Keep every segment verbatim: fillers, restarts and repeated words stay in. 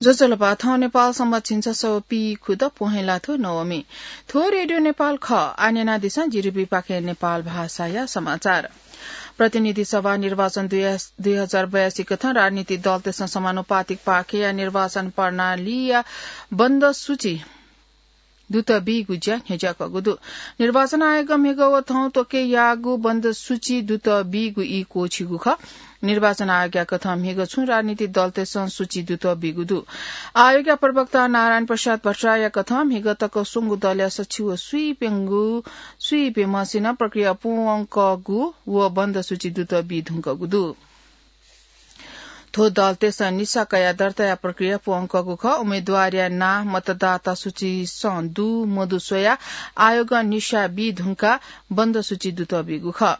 ज्वजलपा, थौं नेपाल संवत् झिंछसः व पीखुदँ पहेँला थ्व नवमी। थ्व रेडियो नेपाल खः। आः न्यनादिसँ जिरिबीपाखें नेपाल भाषाया समाचार। प्रतिनिधि सभा निर्वाचन दुई, दुई हजार बयासी कथं राजनीतिक दलतय्सं समानुपातिक पाखेया निर्वाचन प्रणालीया बन्द सूची दुत बीगु ज्या न्ह्यज्याकःगु दु। निर्वाचन आयोगं म्हिगः व थौं त्वके याःगु बन्द सूची दुत बीगु ई क्वःछिगु खः। निर्वाचन आयोगया कथं म्हिगः छुं राजनीतिक दलतय्सं सूची दुत बीगु दु। आयोगया प्रवक्ता नारायण प्रसाद भट्टराईया कथं म्हिगः तक स्वंगु दलया सछि व स्वीप्यंगु, स्वीप्यम्हसिनं प्रक्रिया पूवंकःगु व बन्द सूची दुत बी धुंकःगु दु। थ्व दलतय्सं निसा कयाः दर्ताया प्रक्रिया पूवंकःगु खः। उम्मेद्वारया नां मतदाता सूचीसं दु मदु स्वयाः आयोगं निसा बी धुंकाः बन्द सूची दुत बीगु खः।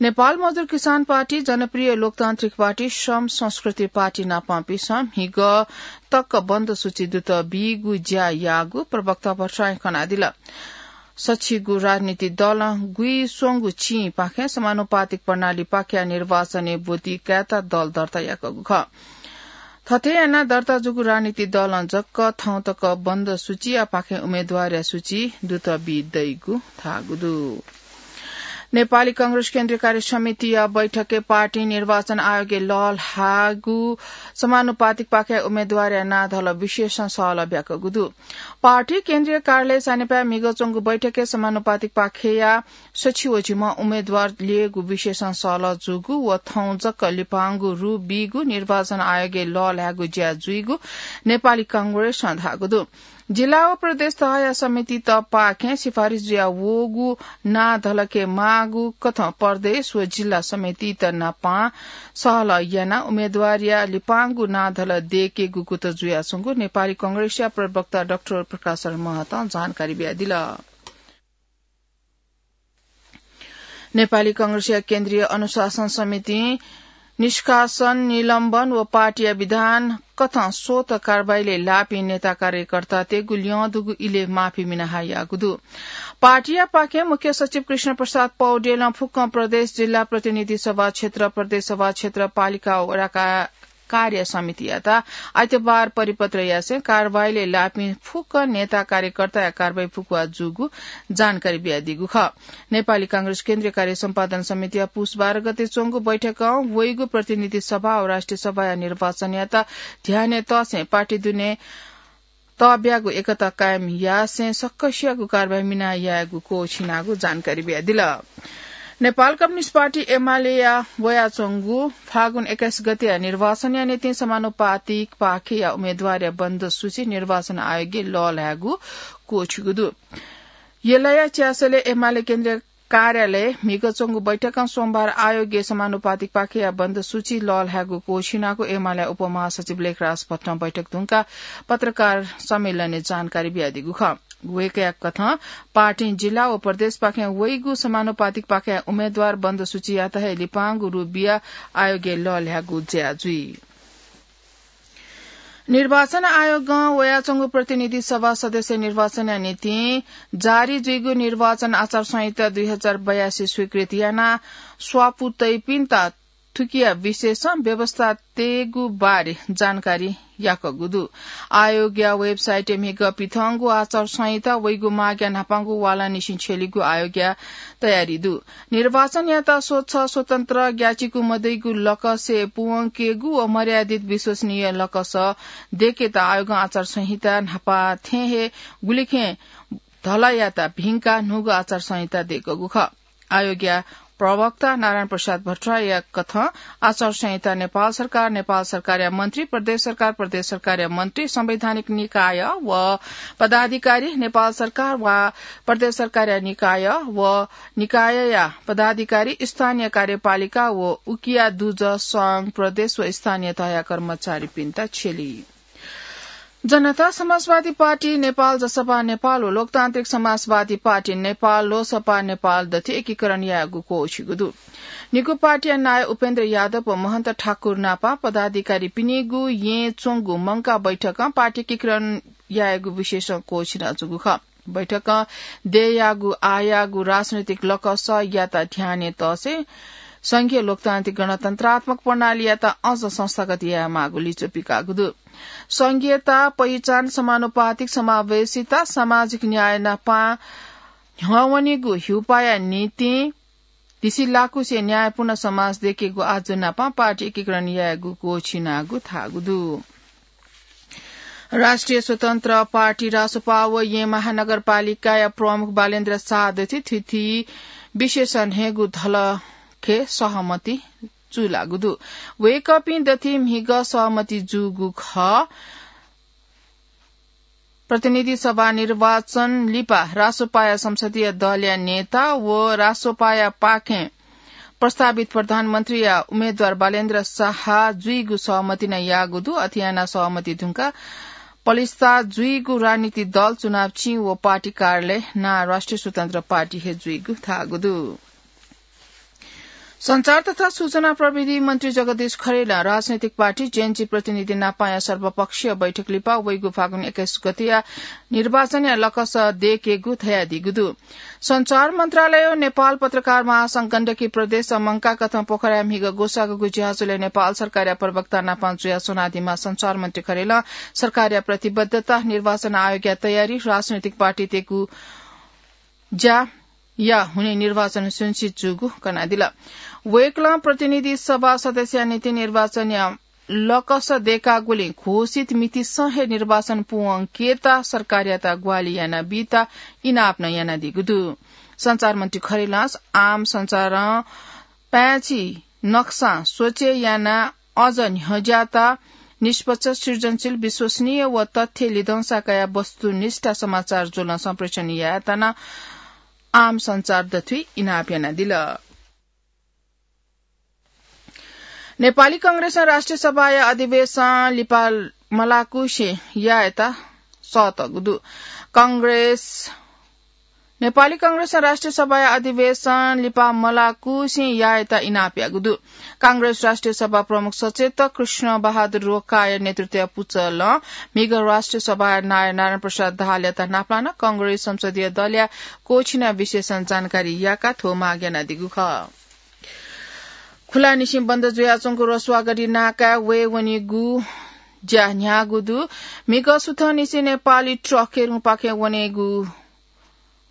नेपाल मजदुर किसान पार्टी, जनप्रिय लोकतान्त्रिक पार्टी, श्रम संस्कृति पार्टी नापंपिन्सं म्हिगः तक बन्द सूची दुत बीगु ज्या याःगु प्रवक्ता भट्टराईं कनादिल। सछिगू राजनीतिक दलं गुइस्वंगू चिंपाखें समानुपातिक प्रणालीपाखेया निर्वाचनय् ब्वति कायेत दल दर्ता याकःगु खः। थथे यानाः दर्ता जूगु राजनीतिक दलं जक थौं तक बन्द सूचीयापाखें उम्मेद्वारया सूची दुत बी दइगु धाःगु दु। नेपाली कांग्रेस केन्द्रीय कार्य समितिया बैठकय् पार्टीं निर्वाचन आयोगय् लःल्हाःगु समानुपातिकपाखेया उम्मेद्वारया नां धल विशेषं सहलह ब्याकःगु दु। पार्टी केन्द्रीय कार्यालय सानेपाय् म्हिगः च्वंगु बैठकय् समानुपातिकपाखेया सछि व झिम्ह उम्मेद्वार ल्ययेगु विशेषं सहलह जूगु व थौं जक लिपांगु रु बीगु निर्वाचन आयोगय् लःल्हायेगु ज्या जुइगु नेपाली कांग्रेसं धाःगु दु। जिल्ला व प्रदेश तहया समितितपाखें सिफारिस जुया वःगु नां धलके माःगु कथं प्रदेश व जिल्ला समितित नापं सहलह यानाः उम्मेद्वारया लिपांगु नां धल दयेकेगु कुतः जुयाच्वंगु नेपाली कांग्रेसया प्रवक्ता डाक्टर प्रकाश शरण महतं जानकारी बियादिल। नेपाली कांग्रेसया केन्द्रीय अनुशासन समितिं निष्कासन, निलम्बन व पार्टीया विधान कथं स्वत कारवाहीलय् लाःपिं नेता कार्यकर्तातय्गु ल्यं दुगु इलय् माफी मिनाः हायागु दु। पार्टीयापाखें मुख्य सचिव कृष्ण प्रसाद पौडेलं फुक्कं प्रदेश, जिल्ला प्रतिनिधि सभा क्षेत्र, प्रदेश सभा क्षेत्र, पालिका, वडा का-, कार्य समितियात आइतबार परिपत्र यासें कारवाहीलय् लाःपिं फुक्क नेता कार्यकर्ताया कारवाही फुकुवा जूगु जानकारी बियादीगु खः। नेपाली कांग्रेस केन्द्रीय कार्य सम्पादन समितिया पुस बाह्र गते च्वंगु बैठकं वइगु प्रतिनिधि सभा व राष्ट्रिय सभाया निर्वाचनयात ध्यानय् तःसें पार्टी दुने तःब्यागु एकता कायम यासें सकसियागु कारवाही मिना यायेगु क्वःछिनागु जानकारी बियादिल। नेपाल कम्युनिस्ट पार्टी एमालेया वयाच्वंगु फागुन एक्काइस गतेया निर्वाचनया निंतिं समानुपातिकपाखेया उम्मेद्वारया बन्द सूची निर्वाचन आयोगय् लःल्हायेगु क्वःछिगु दु। यलया च्यासलय् एमाले केन्द्रीय कार्यालय म्हिगः च्वंगु बैठकं सोमबार आयोगय् समानुपातिकपाखेया बन्द सूची लःल्हायेगु क्वःछिनागु एमालेया उपमहासचिव लेखराज भट्टं बैठक धुंकाः पत्रकार सम्मेलनय् जानकारी बियादीगु खः। वय्कःया कथं पार्टीं जिल्ला व प्रदेशपाखें वइगु समानुपातिकपाखेया उम्मेद्वार बन्द सूचीयात हे लिपांगु रूप बियाः आयोगय् लःल्हायेगु ज्या जुइ। निर्वाचन आयोगं वयाच्वंगु प्रतिनिधि सभा सदस्य निर्वाचनया निंतिं जारी जुइगु निर्वाचन आचार संहिता दुई हजार बयासी स्वीकृत यानाः स्वापू तइपिन्त थुकिया विषयसं व्यवस्था तयेगु बारे जानकारी याकःगु दु। आयोगया वेबसाइटय् म्हिगः पिथंगु आचार संहिता वइगु मागया न्हापांगु वालांनिसें छ्यलीगु आयोगया तयारी दु। निर्वाचनयात स्वच्छ, स्वतन्त्र, ग्याचिकु मदइगु लकसय् पूवंकेगु व मर्यादित विश्वसनीय लकस दयेकेत आयोगं आचार संहिता न्हापा थें हे गुलिखें धलायात भिंकाः न्हूगु आचार संहिता दयेकूगु खः। आयोगया प्रवक्ता नारायण प्रसाद भट्टराईया कथं आचार संहिता नेपाल सरकार, नेपाल सरकारया मन्त्री, प्रदेश सरकार, प्रदेश सरकारया मन्त्री, संवैधानिक निकाय व पदाधिकारी, नेपाल सरकार वा प्रदेश सरकारया निकाय व निकायया पदाधिकारी, स्थानीय कार्यपालिका व उकिया दुजः संघ, प्रदेश व स्थानीय तहया कर्मचारीपिन्त छ्यली। जनता समाजवादी पार्टी नेपाल, जसपा नेपाल व लोकतान्त्रिक समाजवादी पार्टी नेपाल, लोसपा नेपाल दथि एकीकरण यायेगु क्वःछिगु दु। निगू पार्टीया नायः उपेन्द्र यादव व महन्त ठाकुर नापं पदाधिकारीपिनिगु येँ च्वंगु मंकाः बैठकं पार्टी एकीकरण यायेगु विषयसं क्वःछिनाच्वंगु खः। बैठकं दयेयागु आःयागु राजनैतिक लकसयात ध्यानय् तःसें संघीय लोकतान्त्रिक गणतन्त्रात्मक प्रणालीयात अझ संस्थागत यायेमाःगु लिच्वः पिकाःगु दु। संघीयता, पहिचान, समानुपातिक समावेशिता, सामाजिक न्याय नापं न्ह्यवनीगु हिउपाया निंतिं धिसिलाकुसे न्यायपूर्ण समाज दयेकेगु आजु नापं पार्टी एकीकरण यायेगु क्वःछिनागु धाःगु दु। राष्ट्रिय स्वतन्त्र पार्टी रासोपा व येँ महानगरपालिकाया प्रमुख बालेन्द्र शाह दथि थुथि विशेषण हयेगु धलखे सहमति चूलाःगु दु। वय्कःपिं दथि म्हिगः सहमति जूगु खः। प्रतिनिधि सभा निर्वाचन लिपा रासोपाया संसदीय दलया नेता व रासोपाया पाखें प्रस्तावित प्रधानमन्त्रीया उम्मेद्वार बालेन्द्र शाह जुइगु सहमति नं याःगु दु। अथे यानाः सहमति धुंकाः पलिस्था जुइगु राजनीतिक दल, चुनाव चिं व पार्टी कार्यालय नां राष्ट्रिय स्वतन्त्र पार्टी हे जुइगु धाःगु दु। सञ्चार तथा सूचना प्रविधि मन्त्री जगदीश खरेलं राजनैतिक पार्टी जेएनजी प्रतिनिधि नापाया सर्वपक्षीय बैठक लिपा वइगु फागुन एक्काइस गतेया निर्वाचनया लकस दयेकेगु धयादीगु दु। सञ्चार मन्त्रालय व नेपाल पत्रकार महासंघ गण्डकी प्रदेश मंकाकथं पोखराया म्हिगः ग्वसाःगु ज्याझ्वलय् नेपाल सरकारया प्रवक्ता नापां जुयाः स्वनादीम्ह सञ्चार मन्त्री खरेलं सरकारया प्रतिबद्धता, निर्वाचन आयोगया तयारी, राजनैतिक पार्टीतय्गु ज्या या हुनिं निर्वाचन सुनिश्चित जूगु कनादिल। वय्कलं प्रतिनिधि सभा सदस्यया निंतिं निर्वाचनया लकस दयेकागुलिं घोषित मितिसं हे निर्वाचन पूवंकेत सरकारयात ग्वाहालि यानाबीत इनाप नं यानादीगु दु। सञ्चार मन्त्री खरेलं आम सञ्चारं पाय्छि नक्सां स्वचे यानाः अझ न्ह्यज्याःत निष्पक्ष, सृजनशील, विश्वसनीय व तथ्य लिधंसा कयाः वस्तुनिष्ठ समाचार ज्वलं सम्प्रेषण यायेत नं आम सञ्चार दथुइ इनाप यानादिल। नेपाली कांग्रेसं राष्ट्रिय सभाया अधिवेशन लिपा मलाकुसे यायेत सःतःगु दु। कांग्रेस नेपाली कांग्रेसं राष्ट्रिय सभाया अधिवेशन लिपा मलाकुसे यायेत इनाप याःगु दु। कांग्रेस राष्ट्रिय सभा प्रमुख सचेतक कृष्ण बहादुर रोकाया नेतृत्वया पुचलं म्हिगः राष्ट्रिय सभाया नायः नारायण प्रसाद दाहालयात नापलानाः कांग्रेस संसदीय दलया क्वःछिना विशेषं जानकारी याकाः थ्व माग यानादीगु खः। खुलानिसें बन्द जुयाच्वंगु रसुवागढी नाकाय् वये वनीगु ज्या न्ह्याःगु दु। म्हिगः सुथंनिसें नेपाली ट्रक केरुङपाखें वनेगु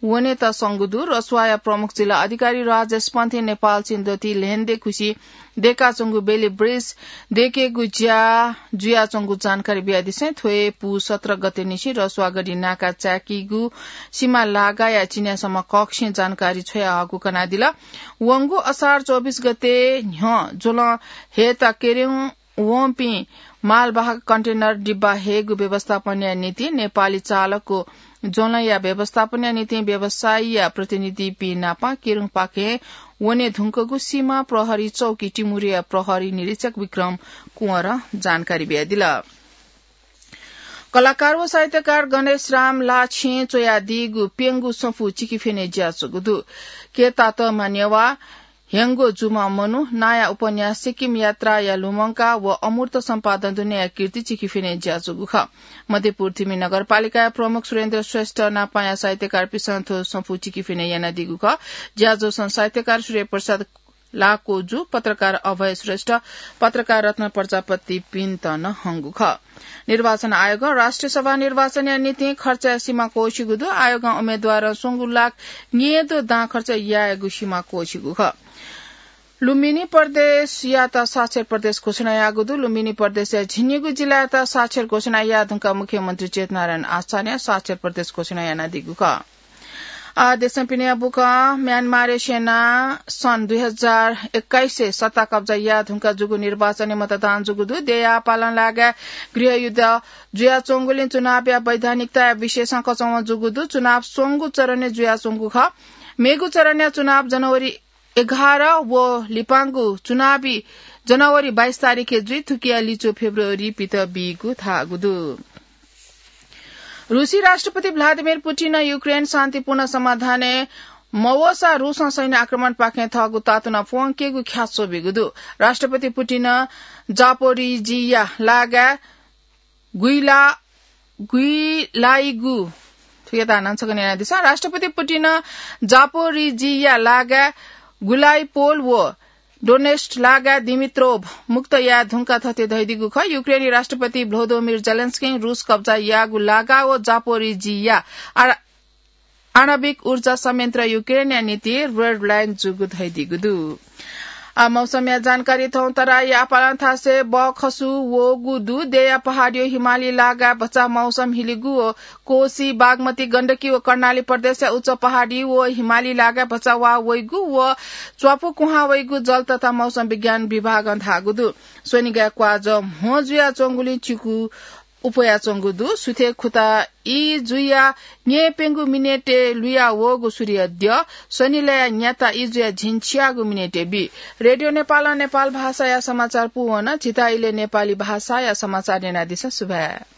वनेत संगु दु। रसुवाया प्रमुख जिल्ला अधिकारी राजेश पन्थी नेपाल चीन दथुइ ल्हेन्दे खुसि दयेकाच्वंगु बेली ब्रिज दयेकेगु ज्या जुयाच्वंगु जानकारी बियादिसें थ्व हे पू सत्र गतेनिसें रसुवागढी नाका चाय्कीगु सीमा लागाया चिन्यासम्म कक्षें जानकारी छ्वयाहःगु कनादिल। वंगु असार चौबिस गते न्ह्यः ज्वलं हयेत केरुङ वंपिं मालवाहक कन्टेनर डिब्बा हयेगु व्यवस्थापनया निंतिं नेपाली चालकको ज्वलंया व्यवस्थापनया निंतिं व्यवसायीया प्रतिनिधिपिं नाप केरुङपाखें वने धुंकूगु सीमा प्रहरी चौकी टिमुरया प्रहरी निरीक्षक विक्रम कुँवरं जानकारी बियादिल। कलाकार व साहित्यकार गणेश राम लाछें च्वयादीगु प्यंगू सफू चिकिफिने ज्याच्वंगु दु। केतातःम्ह नेवाः, ह्यंगु जूम्ह मनू, नाया उपन्यास सिक्किम यात्राया लुमंका व अमूर्त सम्पादन दुनेया कीर्ति चिकिफिने ज्याच्वंगु खः। मध्यपुर थिमि नगरपालिकाया प्रमुख सुरेन्द्र श्रेष्ठ नापाया साहित्यकारपिसं थ्व सफू चिकिफिने यानादीगु खः। ज्याझ्वलय् साहित्यकार सूर्य प्रसाद लाकोजु, पत्रकार अभय श्रेष्ठ, पत्रकार रत्न प्रजापतिपिन्त नं हंगु खः। निर्वाचन आयोगं राष्ट्रिय सभा निर्वाचनया निंतिं खर्चया सीमा क्वःछिगु दु। आयोगं उम्मेद्वारं स्वंगू लाख न्येदँ दां खर्च यायेगु सीमा क्वःछिगु खः। लुम्बिनी प्रदेशयात साक्षर प्रदेश घोषणा याःगु दु। लुम्बिनी प्रदेशया झिंनिगू जिल्लायात साक्षर घोषणा याये धुंकाः मुख्यमन्त्री चेतनारायण आचार्यं साक्षर प्रदेश घोषणा यानादीगु खः। आ, देशं पिने बुकं म्यानमारया सेनां सन् दुई हजार एक्काइसय् सत्ता कब्जा याये धुंकाः जूगु निर्वाचनय् मतदान जूगु दु। देय्‌याः पालंलाःगु गृहयुद्ध जुयाच्वंगुलिं चुनावया वैधानिकताया विषयसं कचंह्वँ जूगु दु। चुनाव स्वंगू चरणय् जुयाच्वंगु खः। मेगु चरणया चुनाव जनवरी एघार व लिपांगु चुनावी जनवरी बाइस तारिखय् जुइ। थुकिया लिच्वः फेब्रुअरी पित बीगु धाःगु दु। रूसी राष्ट्रपति भ्लादिमिर पुटिनं युक्रेन शान्तिपूर्ण समाधानय् मवःसा रूसं सैन्य आक्रमणपाखें थःगु तातुना प्वंकेगु ख्याच्वः ब्यूगु दु। राष्ट्रपति पुटिनं जापोरिजिया लागाय् गुइला-, गुइलाइगु, थुकिया तानं छकः न्यनादिसँ। राष्ट्रपति पुटिनं जापोरिजिया लागाय् गुलाइपोल व डोनेस्ट लागा दिमित्रोभ मुक्त याये धुंका थथे धइदिगु खः। युक्रेनी राष्ट्रपति भ्लोदोमिर जेलेन्स्किं रूस कब्जा याःगु लागा व जापोरिजिया आ- आणविक ऊर्जा संयन्त्र युक्रेनया निंतिं रेड लाइन जूगु धइदिगु दु। आ, मौसमया जानकारी थौं तराई आपालं थासय् बखसु वःगु दु। देया पहाडी हिमाली लागा भचा मौसम हिलिगु व कोसी, बागमती, गण्डकी व कर्णाली प्रदेशया उच्च पहाडी व हिमाली लागा भचा वा वइगु व च्वापु कुहां वइगु जल तथा मौसम विज्ञान विभागं धाःगु दु। स्वनिगाय् क्वाजः म्हो जुयाच्वंगुलिं चिकु उप्वयाच्वंगु दु। सुथय् खुता ई जुया न्येप्यंगु मिनेटय् लुया वःगु सूर्य द्यः। स्वनिलय् न्याता ई जुया झिंछियागु मिनेटय् बी। रेडियो नेपालं नेपाल भाषाया समाचार पूवन। झीत इलय् नेपाली भाषाया समाचार न्यनादिसँ। सुभाय्।